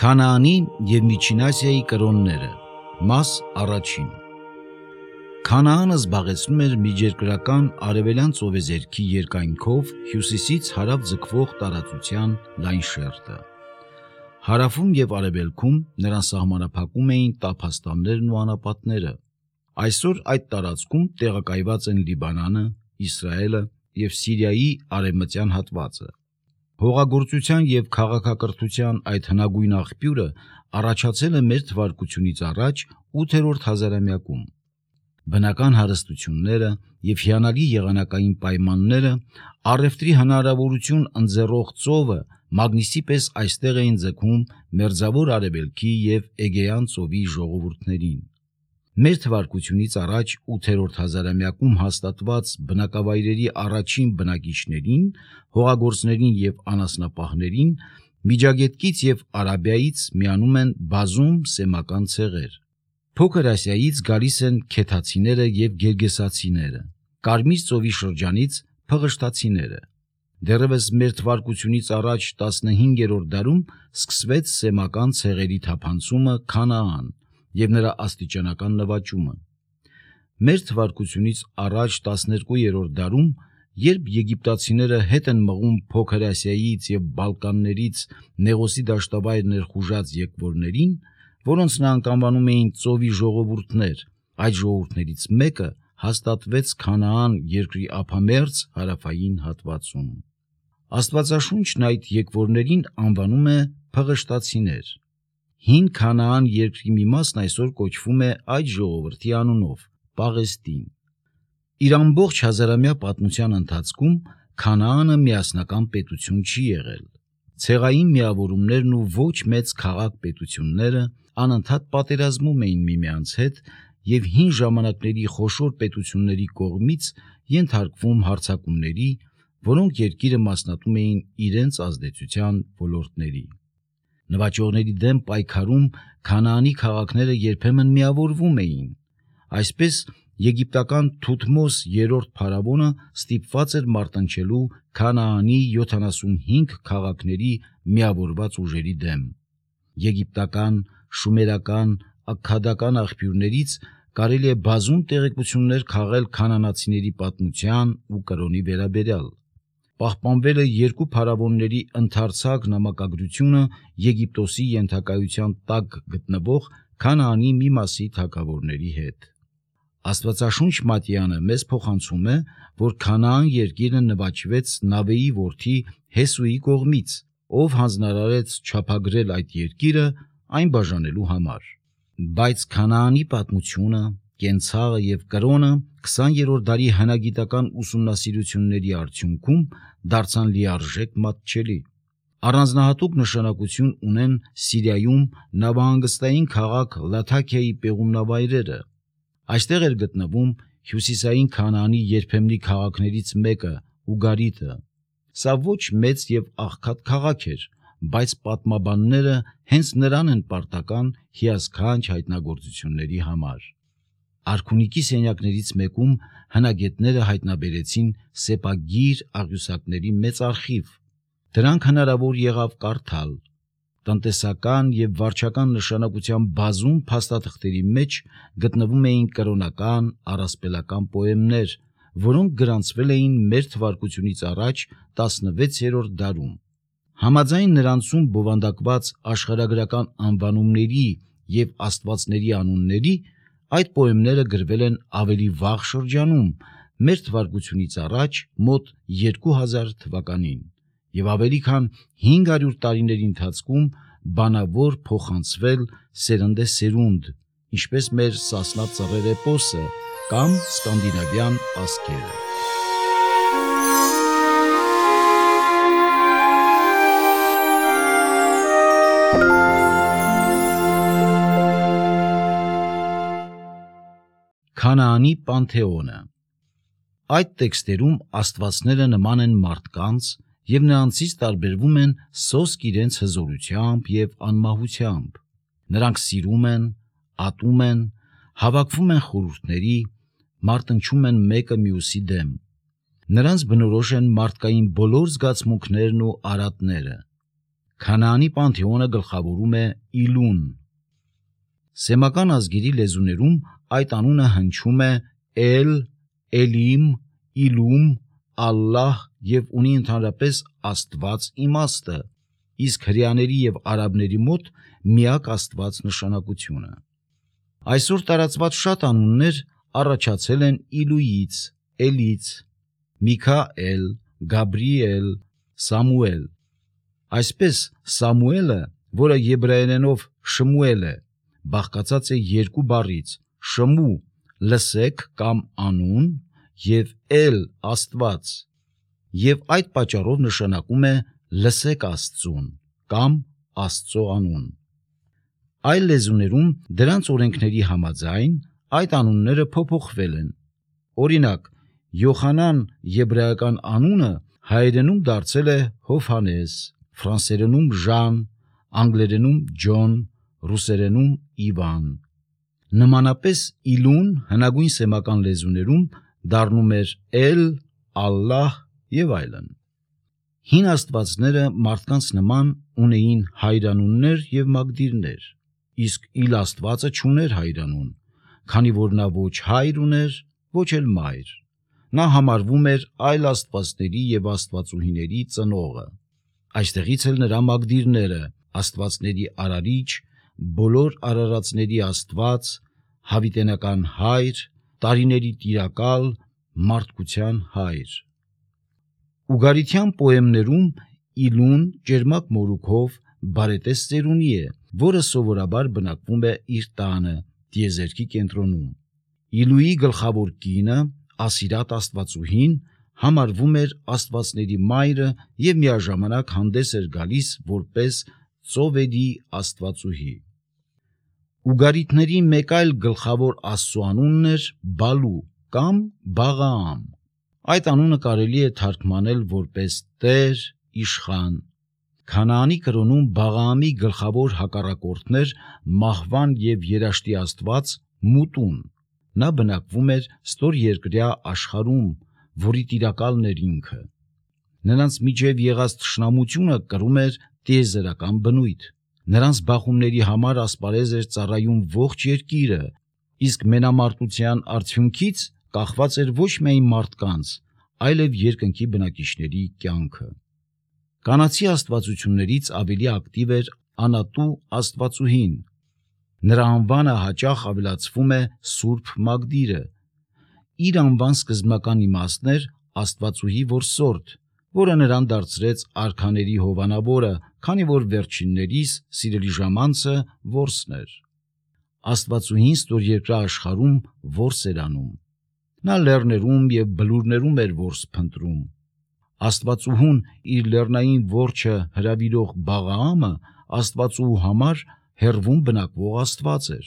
Քանաանի և Միջին Ասիայի կրոնները, մաս առաջին։ Քանաանը զբաղեցնում էր միջերկրական արևելյան ծովեզերքի երկայնքով հյուսիսից հարավ ձգվող տարածության լայն շերտը։ Հարավում և արևելքում նրան սահմանափակում էին տափաստաններն ու անապատները։ Այսօր այդ տարածքում տեղակայված են Լիբանանը, Իսրայելը և Սիրիայի արևմտյան հատվածը։ Հողագործության և քաղաքակրթության այդ հնագույն աղբյուրը առաջացել է մեր թվարկությունից առաջ 8-րդ հազարամյակում։ Բնական հարստությունները և հիանալի եղանակային պայմանները, առևտրի հնարավորություն ընձեռող ծովը մագնիսի պես այստեղ էին ձգում Մերձավոր Արևելքի և Էգեյան ծովի ժողովուրդներին։ Մեր թվարկությունից առաջ 8-րդ հազարամյակում հաստատված բնակավայրերի առաջին բնակիչներին, հողագործներին և անասնապահներին Միջագետքից և Արաբիայից միանում են բազում սեմական ցեղեր։ Փոքր Ասիայից գալիս են քեթացիները և գերգեսացիները, Կարմիր ծովի շրջանից փղշտացիները։ Դեռևս մեր թվարկությունից առաջ 15-րդ դարում սկսվեց սեմական ցեղերի թափանցումը Քանաան և նրա աստիճանական նվաճումը։ Մեր թվարկությունից առաջ 12-րդ դարում, երբ եգիպտացիները հետ են մղում Փոքր Ասիայից և Բալկաններից Նեղոսի դաշտավայր ներխուժած եկվորներին, որոնց նրանք անվանում էին ծովի ժողովուրդներ, այդ ժողովուրդներից մեկը հաստատվեց Քանաան երկրի ափամերձ հարավային հատվածում։ Աստվածաշունչն այդ եկվորներին անվանում է փղշտացիներ։ Հին Քանաան երկրի մի մասն այսօր կոչվում է այդ ժողովրդի անունով՝ Պաղեստին։ Իր ամբողջ հազարամյա պատմության ընթացքում Քանաանը միասնական պետություն չի եղել։ Ցեղային միավորումներն ու ոչ մեծ քաղաք-պետությունները անընդհատ պատերազմում էին միմյանց հետ և հին ժամանակների խոշոր պետությունների կողմից ենթարկվում հարձակումների, որոնք երկիրը մասնատում էին իրենց ազդեցության ոլորտների։ Նվաճողների դեմ պայքարում Քանաանի քաղաքները երբեմն միավորվում էին։ Այսպես եգիպտական Թութմոս III փարավոնը ստիպված էր մարտնչելու Քանաանի 75 քաղաքների միավորված ուժերի դեմ։ Եգիպտական, շումերական, աքքադական աղբյուրներից կարելի է բազում տեղեկություններ քաղել քանանացիների պատմության ու կրոնի վերաբերյալ։ Պահպանվել է երկու փարավոնների ընդարձակ նամակագրությունը Եգիպտոսի ենթակայության տակ գտնվող Քանաանի մի մասի թագավորների հետ։ Աստվածաշունչ Մատթեանը մեզ փոխանցում է, որ Քանաան երկիրը նվաճվեց Նավեի որդի Հեսուի կողմից, ով հանձնարարեց չափագրել այդ երկիրը այն բաժանելու համար։ Բայց Քանաանի պատմությունը, կենցաղը և կրոնը 20-րդ դարի հնագիտական ուսումնասիրությունների արդյունքում դարձան լիարժեք մատչելի։ Առանձնահատուկ նշանակություն ունեն Սիրիայում նավահանգստային քաղաք Լաթաքիայի պեղումնավայրերը։ Այստեղ էր գտնվում հյուսիսային Քանաանի երբեմնի քաղաքներից մեկը՝ Ուգարիթը։ Սա ոչ մեծ և աղքատ քաղաք էր, բայց պատմաբանները հենց նրան են պարտական հիասքանչ հայտնագործությունների համար։ Արքունիքի սենյակներից մեկում հնագետները հայտնաբերեցին սեպագիր աղյուսակների մեծ արխիվ։ Դրանք հնարավոր եղավ կարդալ։ Տնտեսական և վարչական նշանակության բազում փաստաթղթերի մեջ գտնվում էին կրոնական, առասպելական պոեմներ, որոնք գրանցվել էին մեր թվարկությունից առաջ 16-րդ դարում։ Համաձայն նրանցում բովանդակված աշխարհագրական անվանումների և աստվածների անունների, այդ պոեմները գրվել են ավելի վաղ շրջանում, մեր թվարկությունից առաջ մոտ 2000 թվականին, և ավելի քան 500 տարիների ընթացքում բանավոր փոխանցվել սերնդեսերունդ, ինչպես մեր Սասնա Ծռեր էպոսը կամ սկանդինավյան ասքերը։ Քանաանի պանթեոնը։ Այդ տեքստերում աստվածները նման են մարդկանց և նրանցից տարբերվում են սոսկ իրենց հզորությամբ և անմահությամբ։ Նրանք սիրում են, ատում են, հավաքվում են խորհուրդների, մարտնչում են մեկը մյուսի դեմ։ Նրանց բնորոշ են մարդկային բոլոր զգացմունքներն ու արատները։ Քանաանի պանթեոնը գլխավորում է Իլուն։ Սեմական ազգերի լեզուներում այդ անունը հնչում է Էլ, Էլիմ, Իլում, Ալլահ և ունի ընդհանրապես Աստված իմաստը, իսկ հրեաների և արաբների մոտ միակ Աստված նշանակությունը։ Այսօր տարածված շատ անուններ առաջացել են Իլույից, Էլից, Միքայել, Գաբրիել, Սամուել։ Այսպես Սամուելը, որը եբրայերենով Շմուել է, բաղկացած է երկու բառից՝ շմու լսեք կամ անուն և էլ Աստված, և այդ պատճառով նշանակում է լսեք Աստծուն կամ Աստծո անուն։ Այլ լեզուներում դրանց օրենքների համաձայն այդ անունները փոփոխվել են։ Օրինակ, Յոխանան եբրայական անունը հայերենում դարձել է Հովհաննես, ֆրանսերենում Ժան, անգլերենում Ջոն, ռուսերենում Իվան։ Նմանապես Իլուն հնագույն սեմական լեզուներում դառնում էր Էլ, Ալլահ և այլն։ Հին աստվածները մարդկանց նման ունեին հայրանուններ և մագդիրներ, իսկ Իլ աստվածը չուներ հայրանուն, քանի որ նա ոչ հայր ուներ, ոչ էլ մայր։ Նա համարվում էր այլ աստվածների և աստվածուհիների ծնողը։ Այստեղից էլ նրա մագդիրները՝ աստվածների արարիչ, բոլոր արարածների Աստված, հավիտենական հայր, տարիների տիրակալ, մարդկության հայր։ Ուգարիթյան պոեմներում Իլուն ճերմակ մորուքով բարետես ծերունի է, որը սովորաբար բնակվում է իր տանը, տիեզերքի կենտրոնում։ Իլուի գլխավոր կինը, Ասիրատ աստվածուհին, համարվում էր աստվածների մայրը և միաժամանակ հանդես էր գալիս որպես ծովերի աստվածուհի։ Ուգարիթների մեկ այլ գլխավոր աստծու անունն էր Բալու կամ Բաղաամ։ Այդ անունը կարելի է թարգմանել որպես Տեր, Իշխան։ Քանաանի կրոնում Բաղաամի գլխավոր հակառակորդն էր մահվան և երաշտի աստված Մուտուն։ Նա բնակվում էր ստորերկրյա աշխարհում, որի տիրակալն էր ինքը։ Նրանց միջև եղած թշնամությունը կրում էր տիեզերական բնույթ։ Նրանց բախումների համար ասպարեզ էր ծառայում ողջ երկիրը, իսկ մենամարտության արդյունքից կախված էր ոչ միայն մարդկանց, այլև երկնքի բնակիչների կյանքը։ Կանացի աստվածություններից ավելի ակտիվ էր Անատու աստվածուհին։ Նրա անվանը հաճախ ավելացվում է Սուրբ Մագդիրը։ Իր անվան սկզբնական իմաստն էր Աստվածուհի որսորդ, որը նրան դարձրեց արքաների հովանավորը, քանի որ վերջիններիս սիրելի ժամանցը որսն էր։ Աստվածուհին ստորերկրյա աշխարհում որս էր անում։ Նա լեռներում և բլուրներում էր որս փնտրում։ Աստվածուհուն իր լեռնային որջը հրավիրող Բաղաամը Աստվածուհու համար հեռվում բնակվող աստված էր,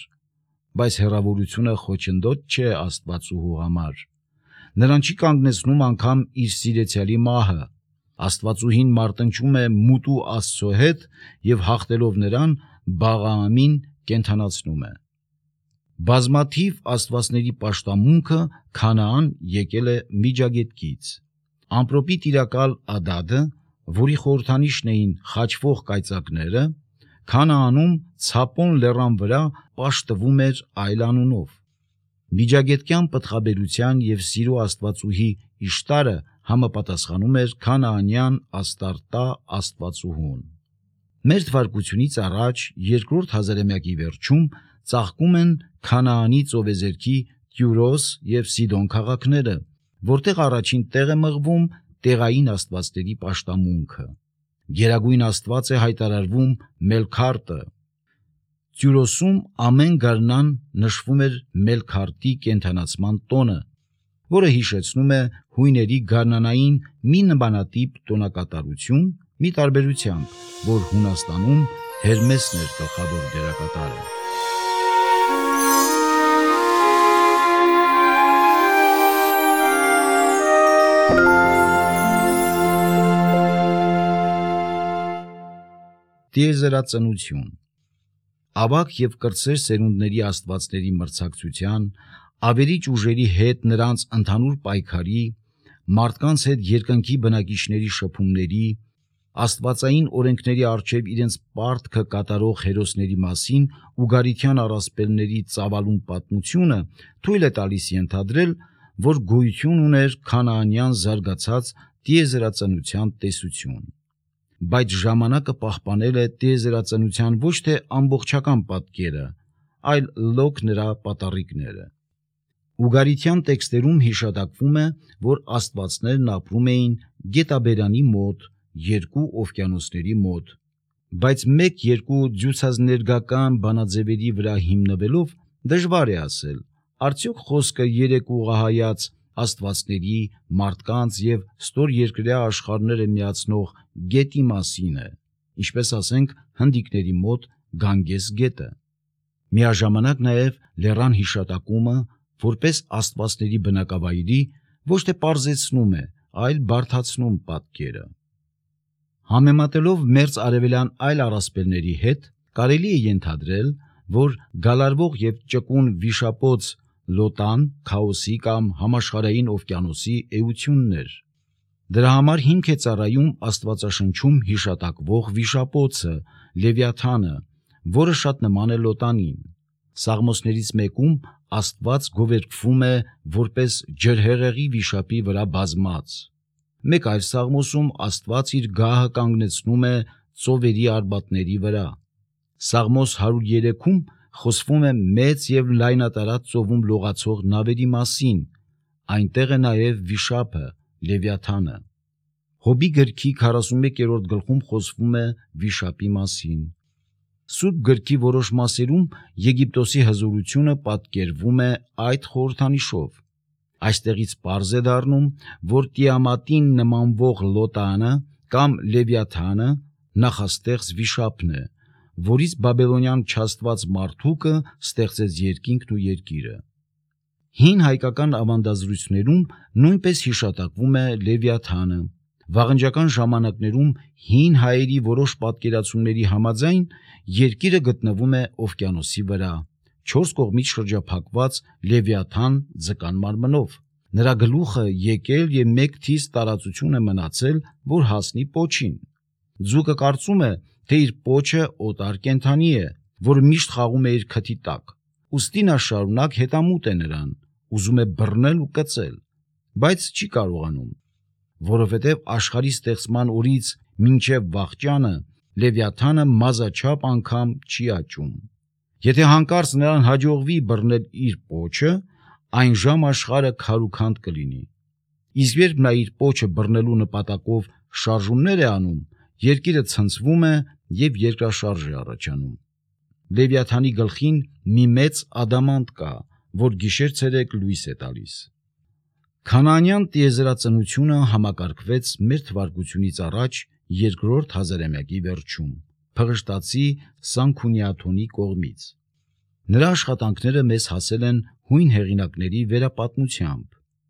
բայց հեռավորությունը խոչընդոտ չէ Աստվածուհու համար։ Նրան չի կանգնեցնում անգամ իր սիրեցյալի մահը։ Աստվածուհին մարտնչում է Մուտու աստծո հետ և հաղթելով նրան Բաղաամին կենդանացնում է։ Բազմաթիվ աստվածների պաշտամունքը Քանաան եկել է Միջագետքից։ Ամպրոպի տիրակալ Ադադը, որի խորհրդանիշն էին խաչվող կայծակները, Քանաանում Ցապոն լեռան վրա պաշտվում էր այլ անունով։ Միջագետքյան պտղաբերության և սիրո աստվածուհի Իշտարը համապատասխանում էր քանաանյան Աստարտա աստվածուհուն։ Մեր թվարկությունից առաջ երկրորդ հազարամյակի վերջում ծաղկում են Քանաանի ծովեզերքի Տյուրոս և Սիդոն քաղաքները, որտեղ առաջին տեղ է մղվում տեղային աստվածների պաշտամունքը։ Գերագույն աստված է հայտարարվում Մելքարտը։ Տյուրոսում ամեն գարնան նշվում էր Մելքարտի կենդանացման տոնը, որը հիշեցնում է հույների գարնանային մի նմանատիպ տոնակատարություն, մի տարբերությամբ, որ Հունաստանում Հերմեսն էր գլխավոր դերակատարը։ Տիեզերածնություն։ Ավագ և կրտսեր սերունդների աստվածների մրցակցության, ավերիչ ուժերի հետ նրանց ընդհանուր պայքարի, մարդկանց հետ երկնքի բնակիչների շփումների, աստվածային օրենքների առջև իրենց պարտքը կատարող հերոսների մասին ուգարիթյան առասպելների ծավալուն պատմությունը թույլ է տալիս ենթադրել, որ գոյություն ուներ քանաանյան զարգացած տիեզերածնության տեսություն։ Բայց ժամանակը պահպանել է տիեզերածնության ոչ թե ամբողջական պատկերը, այլ լոկ նրա պատառիկները։ Ուգարիթյան տեքստերում հիշատակվում է, որ աստվածներն ապրում էին գետաբերանի մոտ, երկու օվկիանոսների մոտ, բայց մեկ-երկու ջուցազներգական բանաձևերի վրա հիմնվելով դժվար է ասել, արդյոք խոսքը երեք ուղղահայաց աստվածների, մարդկանց եւ ստորերկրյա աշխարհները միացնող գետի մասին է, ինչպես ասենք հնդիկների մոտ Գանգես գետը։ Միաժամանակ նաև լեռան հիշատակումը որպես աստվածների բնակավայրի ոչ թե պարզեցնում է, այլ բարդացնում պատկերը։ Համեմատելով մերձ արևելյան այլ առասպելների հետ, կարելի է ենթադրել, որ գալարվող եւ ճկուն վիշապոց Լոտան քաոսի կամ համաշխարհային օվկիանոսի էությունն էր։ Դրա համար հիմք է ծառայում Աստվածաշնչում հիշատակվող վիշապոցը Լևիաթանը, որը շատ նման է Լոտանին։ Սաղմոսներից մեկում Աստված գովերգվում է որպես ջրհեղեղի վիշապի վրա բազմած։ Մեկ այլ սաղմոսում Աստված իր գահը կանգնեցնում է ծովերի արբատների վրա։ Սաղմոս 103-ում խոսվում է մեծ եւ լայնատարած ծովում լողացող նավերի մասին, այնտեղ է նաև վիշապը Լևիաթանը։ Հոբի գրքի 41-րդ գլխում խոսվում է վիշապի մասին։ Սուրբ գրքի որոշ մասերում Եգիպտոսի հզորությունը պատկերվում է այդ խորհրդանիշով։ Այստեղից պարզ է դառնում, որ Տիամատին նմանվող Լոտանը կամ Լևիաթանը նախաստեղծ վիշապն է, որից բաբելոնյան չաստված Մարդուկը ստեղծեց երկինքն ու երկիրը։ Հին հայկական ավանդազրույցներում նույնպես հիշատակվում է Լևիաթանը։ Վաղնջական ժամանակներում հին հայերի որոշ պատկերացումների համաձայն երկիրը գտնվում է օվկիանոսի վրա, 4 կողմից շրջափակված Լևիաթան ձկան մարմնով։ Նրա գլուխը եկել եւ մեկ թիվ տարածություն է մնացել, որ հասնի պոչին։ Ձուկը կարծում է, թե իր պոչը օտար կենդանի է, որ միշտ խաղում է իր քթի տակ։ Ուստի նա շարունակ հետամուտ է նրան, ուզում է բռնել ու կծել, բայց չի կարողանում, որովհետև աշխարհի ստեղծման օրից մինչև վաղճանը Լևիաթանը մազաչափ անգամ չի աճում։ Եթե հանկարծ նրան հաջողվի բռնել իր պոչը, այն ժամ աշխարհը քարուքանդ կլինի։ Իսկ երբ նա իր պոչը բռնելու նպատակով շարժումներ է անում, երկիրը ցնցվում է եւ երկրաշարժ է առաջանում։ Լևիաթանի գլխին մի մեծ ադամանտ կա, որ գիշեր-ցերեկ լույս է տալիս։ Քանաանյան տիեզերածնությունը համակարգվեց մեր թվարկությունից առաջ երկրորդ հազարամյակի վերջում Փղշտացի Սանքունիաթոնի կողմից։ Նրա աշխատանքները մեզ հասել են հույն հեղինակների վերապատմությամբ։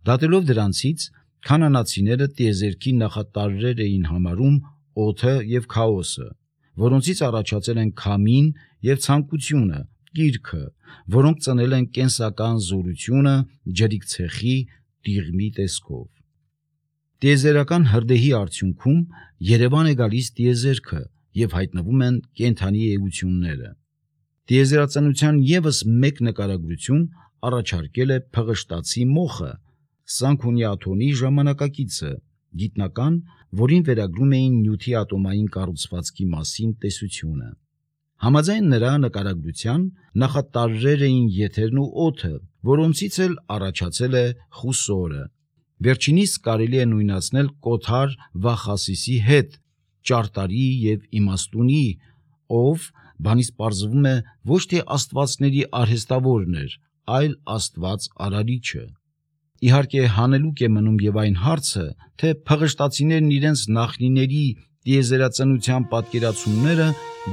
Դատելով դրանցից, քանանացիները տիեզերքի նախատարրեր էին համարում օդը եւ քաոսը, որոնցից առաջացել են քամին եւ ցանկությունը, կիրքը, որոնք ծնել են կենսական զորությունը ջրիկ ցեխի տիղմի տեսքով։ Տիեզերական հրդեհի արդյունքում Երևան է գալիս տիեզերքը եւ հայտնվում են կենդանի էությունները։ Տիեզերածնության եւս մեկ նկարագրություն առաջարկել է Փղշտացի մոխը, Սանքունիաթոնի ժամանակակիցը, գիտնական, որին վերագրում էին նյութի ատոմային կառուցվածքի մասին տեսությունը։ Համաձայն նրա նկարագրության նախատարրեր էին եթերն ու օդը, որոնցից էլ առաջացել է խուսորը։ Վերջինիս կարելի է նույնացնել Կոթար Վախասիսի հետ, ճարտարի եւ իմաստունի, ով բանից պարզվում է ոչ թե աստվածների արհեստավորն էր, այլ աստված արարիչը։ Իհարկե հանելուկ է մնում եւ այն հարցը, թե փղշտացիներն իրենց նախնիների տիեզերածնության պատկերացումները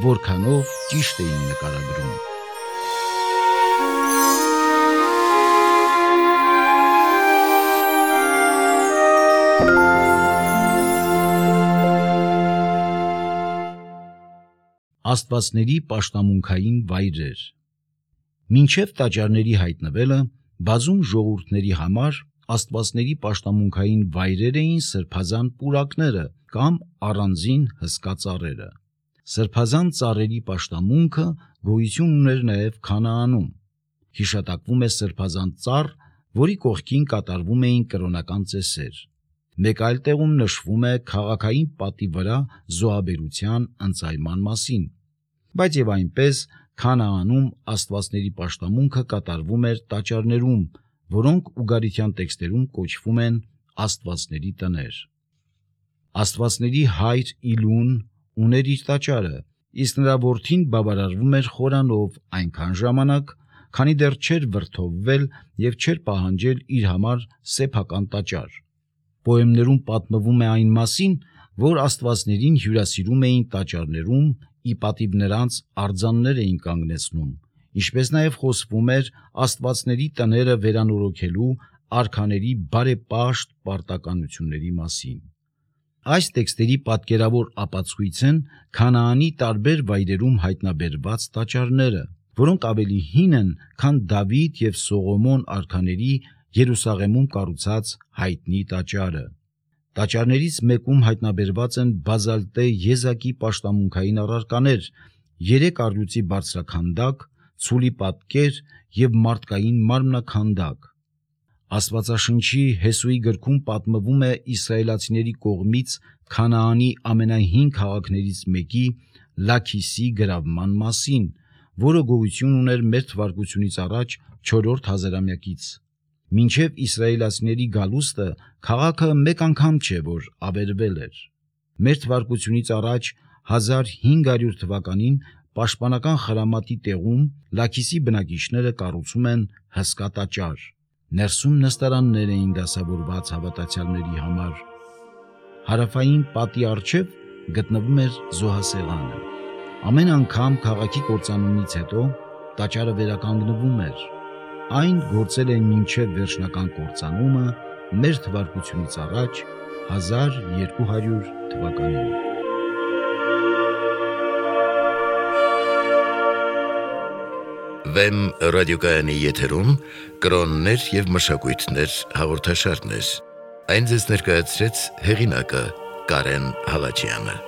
որքանով ճիշտ էին նկարագրում։ Աստվածների պաշտամունքային վայրեր։ Մինչև տաճարների հայտնվելը բազում ժողովուրդների համար աստվածների պաշտամունքային վայրեր էին սրբազան պուրակները կամ առանձին հսկա ծառերը։ Սրբազան ծառերի պաշտամունքը գոյություն ուներ նաև Քանաանում։ Հիշատակվում է սրբազան ծառ, որի կողքին կատարվում էին կրոնական ծեսեր։ Մեկ այլ տեղում նշվում է քաղաքային պատի վրա զոհաբերության ընծայման մասին։ Բայց եւ այնպես Քանաանում աստվածների պաշտամունքը կատարվում էր տաճարներում, որոնք ուգարիթյան տեքստերում կոչվում են աստվածների տներ։ Աստվածների հայր Իլուն ուներ իր տաճարը, իսկ նրա որդին բավարարվում էր խորանով այնքան ժամանակ, քանի դեռ չէր վրդովվել եւ չէր պահանջել իր համար սեփական տաճար։ Պոեմներում պատմվում է այն մասին, որ աստվածներին հյուրասիրում էին տաճարներում, ի պատիվ նրանց արձաններ էին կանգնեցնում, ինչպես նաև խոսվում էր աստվածների տները վերանորոգելու արքաների բարեպաշտ պարտականությունների մասին։ Այս տեքստերի պատկերավոր ապացույց են Քանաանի տարբեր վայրերում հայտնաբերված տաճարները, որոնք ավելի հին են, քան Դավիթ եւ Սողոմոն արքաների Երուսաղեմում կառուցած հայտնի տաճարը։ Տաճարներից մեկում հայտնաբերված են բազալտե եզակի պաշտամունքային առարկաներ, 3 առյուծի բարձրաքանդակ, ցուլի պատկեր եւ մարդկային մարմնաքանդակ։ Աստվածաշնչի Հեսուի գրքում պատմվում է իսրայելացիների կողմից Քանաանի ամենահին քաղաքներից մեկի Լաքիսի գրավման մասին, որը գոյություն ուներ մեր թվարկությունից առաջ 4-րդ հազարամյակից։ Մինչև իսրայելացիների գալուստը քաղաքը մեկ անգամ չէ, որ ավերվել էր։ Մեր թվարկությունից առաջ 1500 թվականին պաշտպանական խրամատի տեղում Լաքիսի բնակիչները կառուցում են հսկա տաճար։ Ներսում նստարաններ էին դասավորված հավատացյալների համար։ Հարավային պատի առջև գտնվում էր զոհասեղանը։ Ամեն անգամ քաղաքի կործանումից հետո տաճարը վերականգնվում էր։ Այն գործել է մինչև վերջնական կործանումը մեր թվարկությունից առաջ 1200 թվականին։ Վեմ ռադիոկայանի եթերում կրոններ եւ մշակույթներ հաղորդաշարներ։ Այն ձեզ ներկայացրեց հեղինակը Կարեն Հալաջյանը։